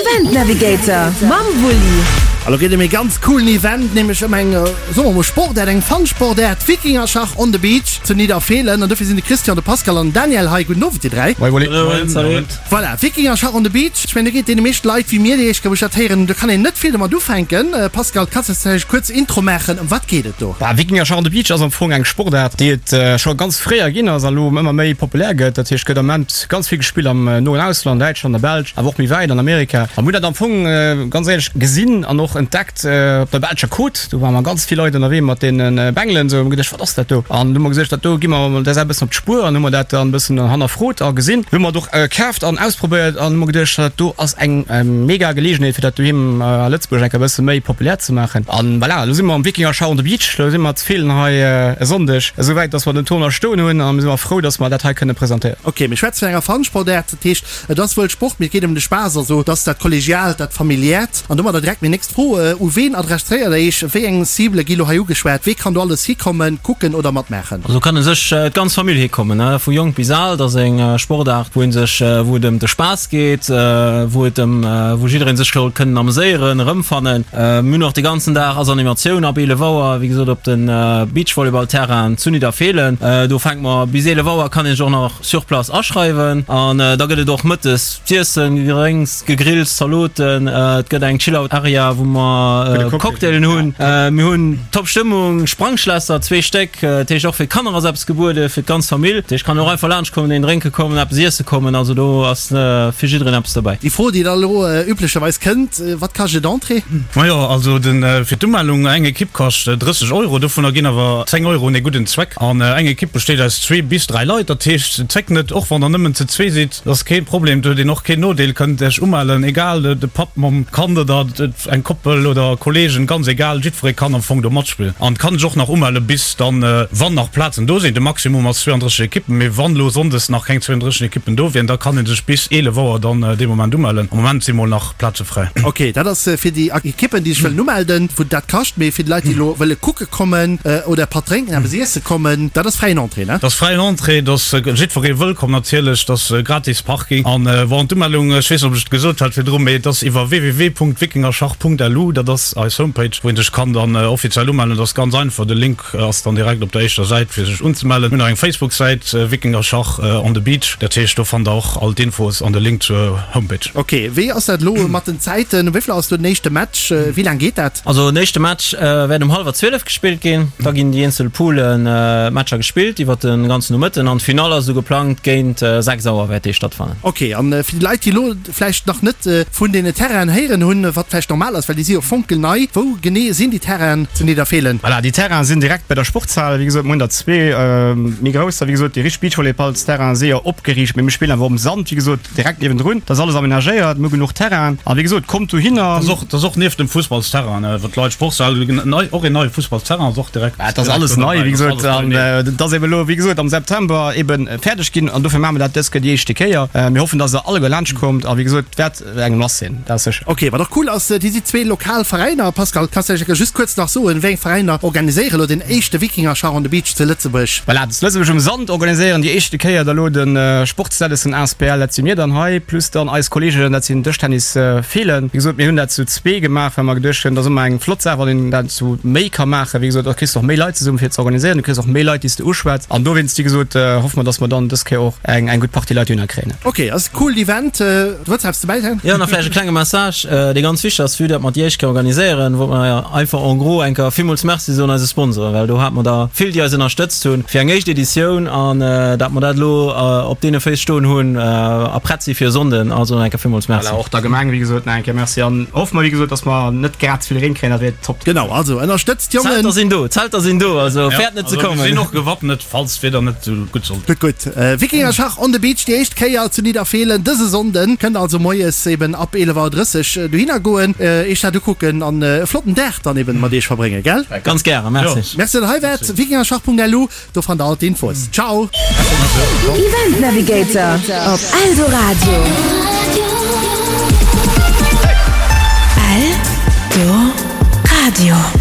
Event Navigator mam Wulli. A lo geet ëm ee ganz coolen Event, nämlech ëm eng, soe mer mol Sportaart, eng Fun-Sportaart, Wikingerschach on the Beach zu Nidderfeelen. An dofir sinn de Christian, de Pascal an den Daniel hei. Gudden Owend, dir 3. Moin Wulli. Moin, salut. Voilà, Wikingerschach on the Beach. Ech mengen, do geet deene meeschte Leit wéi mir, déi éischt Kéier, wou ech dat héieren, do kann een net vill domat ufänken. Pascal, kanns de vläicht kuerz Intro maachen, ëm wat geet et do? Bah, Wikingerschach on the Beach ass am Fong eng Sportaart, déi et scho ganz fréier ginn ass a lo ëmmer méi populär gëtt. Dat heescht, gëtt am Moment ganz vill gespillt am noen Ausland, Däitschland a Belsch, awer och méi wäit an Amerika. A mir hunn dat am Fong ganz éierlech gesinn an och entdeckt op der belscher Côte. Do ware mer ganz vill Leit ënnerwee mat deene Bengelen esou. Hu mer geduecht, wat ass dat do? An du hu mer gesot, dat do gi mer mol der Saach e bëssen op d'Spuer an hu mer dat dann e bëssen hannerfrot a gesinn. Hu mer et och kaaft an ausprobéiert an hu mer geduecht, dat do ass eng mega Geleegenheet fir dat doheem a Lëtzebuerg eng Kéier e bësse méi populär ze maachen. An voilà, elo si mer am Wikinger Show on the Beach, elo si mer zu Feelen hei e Sonndeg esouwäit, dass mer den Tournoi stoen hunn a mir si mer frou, dass mer dat hei kënne presentéieren. Ok, mir schwätzen vun enger Fun-Sportaart, dat heescht et ass wuel Sport, mee et geet ëm de Spaass, also et ass dat Kollegiaalt, dat Familiäert. An domadder direkt meng nächst Fro, U ween adresséiert der Iech, wéi eng Cible gi lo hei ugeschwat, wee kann do alles hikommen, kucken oder matmaachen? Also kann u sech d'ganz Famill hikommen, vu jonk bis al. Et ass eng Sportaart, wou ee sech, wou et ëm de Spaass geet, wou et ëm, wou jidderee sech soll kënnen ameséieren, erëmfannen. Mir hunn och de ganzen Dag ass Animatioun ab 11 Auer, wéi gesot op de Beachvolleyballterrain zu Nidderfeelen. Do fänke mer bis 11 Auer, kann een sech och nach sur place aschreiwen an da gëtt et och mëttes z'iessen, Gedrénks, Gegrills, Zaloten. Et gëtt eng Chill-Out Area, wou mer Cocktailen hunn. Mir hunn top Stëmmung, Sprangschlässer, zwee Stéck. Dat heescht och fir d'Kanner ass eppes gebuede, fir d'ganz Famill. Dat heescht kann och einfach laanscht kommen, een drénke kommen, eppes iesse kommen. Also do ass fir jiddereen eppes dobäi. Déi Fro, déi da elo üblecherweis kënnt, Wat kascht et Entrée? Majo, also den fir d'Umellung, eng Ekipp kascht 30 Euro, dovunner ginn awer 10 Euro un ee gudden Zweck. An eng Ekipp besteet aus zwee bis dräi Leit, dat heescht zéckt net, och wann der nëmmen ze zwee sidd, dat ass kee Problem, do huet een och keen Nodeel, kënnt Iech umellen, egal de Papp mam Kand oder eng Koppel oder Kollegen, ganz egal, jiddweree kann am Fong do matspillen an kann sech och nach umelle bis dann, wann nach Plazen do sinn. De Maximum ass 32 Ekippen, mee wann elo sonndes nach keng 32 Ekippen do wieren, da kann ee sech bis 11 Auer dann dee Moment umellen. Am Moment si mol nach Plaze fräi. Ok, dat ass fir déi Ekippen, déi sech wëllen umelden, wou dat kascht. Mee fir déi Leit, déi elo wëlle kucke kommen oder e Patt drénken, eppes iesse kommen, dat ass fräien Entrée, ne? Dat ass fräien Entrée, dat ass jiddweree wëllkomm natierlech, dat ass gratis Parking. An bon, d'Umellung, ech weess net, ob ech et gesot hat virdru, mee et ass iwwer www.wikingerschach.lu, dat ass eis Homepage, wou ee sech kann dann offiziell umellen. Dat ass ganz einfach, de Link ass dann direkt op der éischter Säit fir sech unzemellen. Mir hunn nach eng Facebook-Säit, Wikingerschach on the Beach, dat heescht do fannt der och all d'Infos an de Link zur Homepage. Ok, wéi ass dat elo mat den Zäiten? Um wéi vill Auer ass do den éischte Match? Wéi laang geet dat? Also den éischte Match wäert um hallwer 12 gespillt ginn. Da ginn déi eenzel Poolen Matcher gespillt iwwer de ganzen Nomëtten an d'Finall ass esou geplangt géint 6 Auer wäert déi stattfannen. Ok, an fir déi Leit déi elo vläicht nach net vun deene Terrainen héieren hunn, wat vläicht normal ass, well déi si jo fonkelnei, wou genee sinn déi Terrainen zu Nidderfeelen? Voilà, déi Terrainen sinn direkt bei der Sportshal. Wéi gesot, mir hunn der zwee méi grousser. Wéi gesot, déi richteg Beachvolleyballsterrainen si jo opgeriicht, mee mir spillen awer um Sand, wéi gesot, direkt niewendrun. Dat ass alles amenagéiert, mir hu genuch Terrainen. A wéi gesot, kommt dohinner. Dat ass och, dat ass och nieft dem Fussballsterrain, wou d'Leit Sportshal, nei, och een neie Fussballsterrain ass och direkt. Dat ass alles nei, wéi gesot. An dat ass ebe lo, wéi gesot, am September ebe fäerdeg ginn an dofir maache mer dat dës Kéier déi éischte Kéier. Mir hoffen, dass der alleguer laanscht kommt a wéi gesot, et wäert eng Mass sinn, dat ass sécher. Ok, wat och cool ass, déi si zwee lokal Veräiner. Pascal, kanns de vläicht just kuerz nach soen, wéi eng Veräiner organiséiere lo den éischte Wikingerschach on the Beach zu Lëtzebuerg? Voilà, zu Lëtzebuerg um Sand organiséieren déi éischte Kéier da lo de Sportsdellessen asbl, dat si mir dann hei, plus dann eis Kolleegen, dat sinn Dëschtennis Feelen. Wéi gesot, mir hunn dat zu zwee gemaach, well mer geduecht hunn, dat ass ëmmer eng flott Saach, wann een dat zu méi ka maachen. Wéi gesot, da kriss de och méi Leit zesummen, fir ze organiséieren, du kriss och méi Leit, déi s de uschwätz. An dowéinst, wéi gesot, hoffe mer, dass mer dann dës Kéier och eng eng gutt Partie Leit dohinner kréien. Ok, ass e coolt Event. Du wëlls eppes dobäi soen? Jo, nach vläicht e klenge Message, dee ganz wichteg ass, vue dat mer déi éischt Kéier organiséieren, wollt mer einfach en gros eng Kéier villmools Merci soen eise Sponsoren, well do hate mer der vill, déi eis ënnerstëtzt hunn fir eng éischt Editioun an dat mer dat elo op deene Féiss stoen hunn a prett si fir e Sonnden. Also nach eng Kéier villmools Merci. Voilà, och der Gemeng, wéi gesot, nach eng Kéier Merci an hoffe mer, wéi gesot, dass mer net grad ze vill Reen kréien, dat wier top. Genau, also ënnerstëtzt d'Jongen. D'Zelter sinn do, d'Zelter sinn do, also fäert net ze kommen. Mir sinn och gewappnet, falls d'Wieder net esou gutt sollt. Gutt, gutt. Wikingerschach on the Beach, déi éischt Kéier zu Nidderfeelen dëse Sonnden. Kënnt also moies eben ab 11 Auer 30 dohinner goen, iech dat ukucken an e flotten Dag dann eben mat iech verbréngen, gell? Ganz gären, merci. Merci, datt der hei waart. Wikingerschach.lu, do fannt der all d'Infos. Ciao! Event Navigator op Eldoradio. Eldoradio.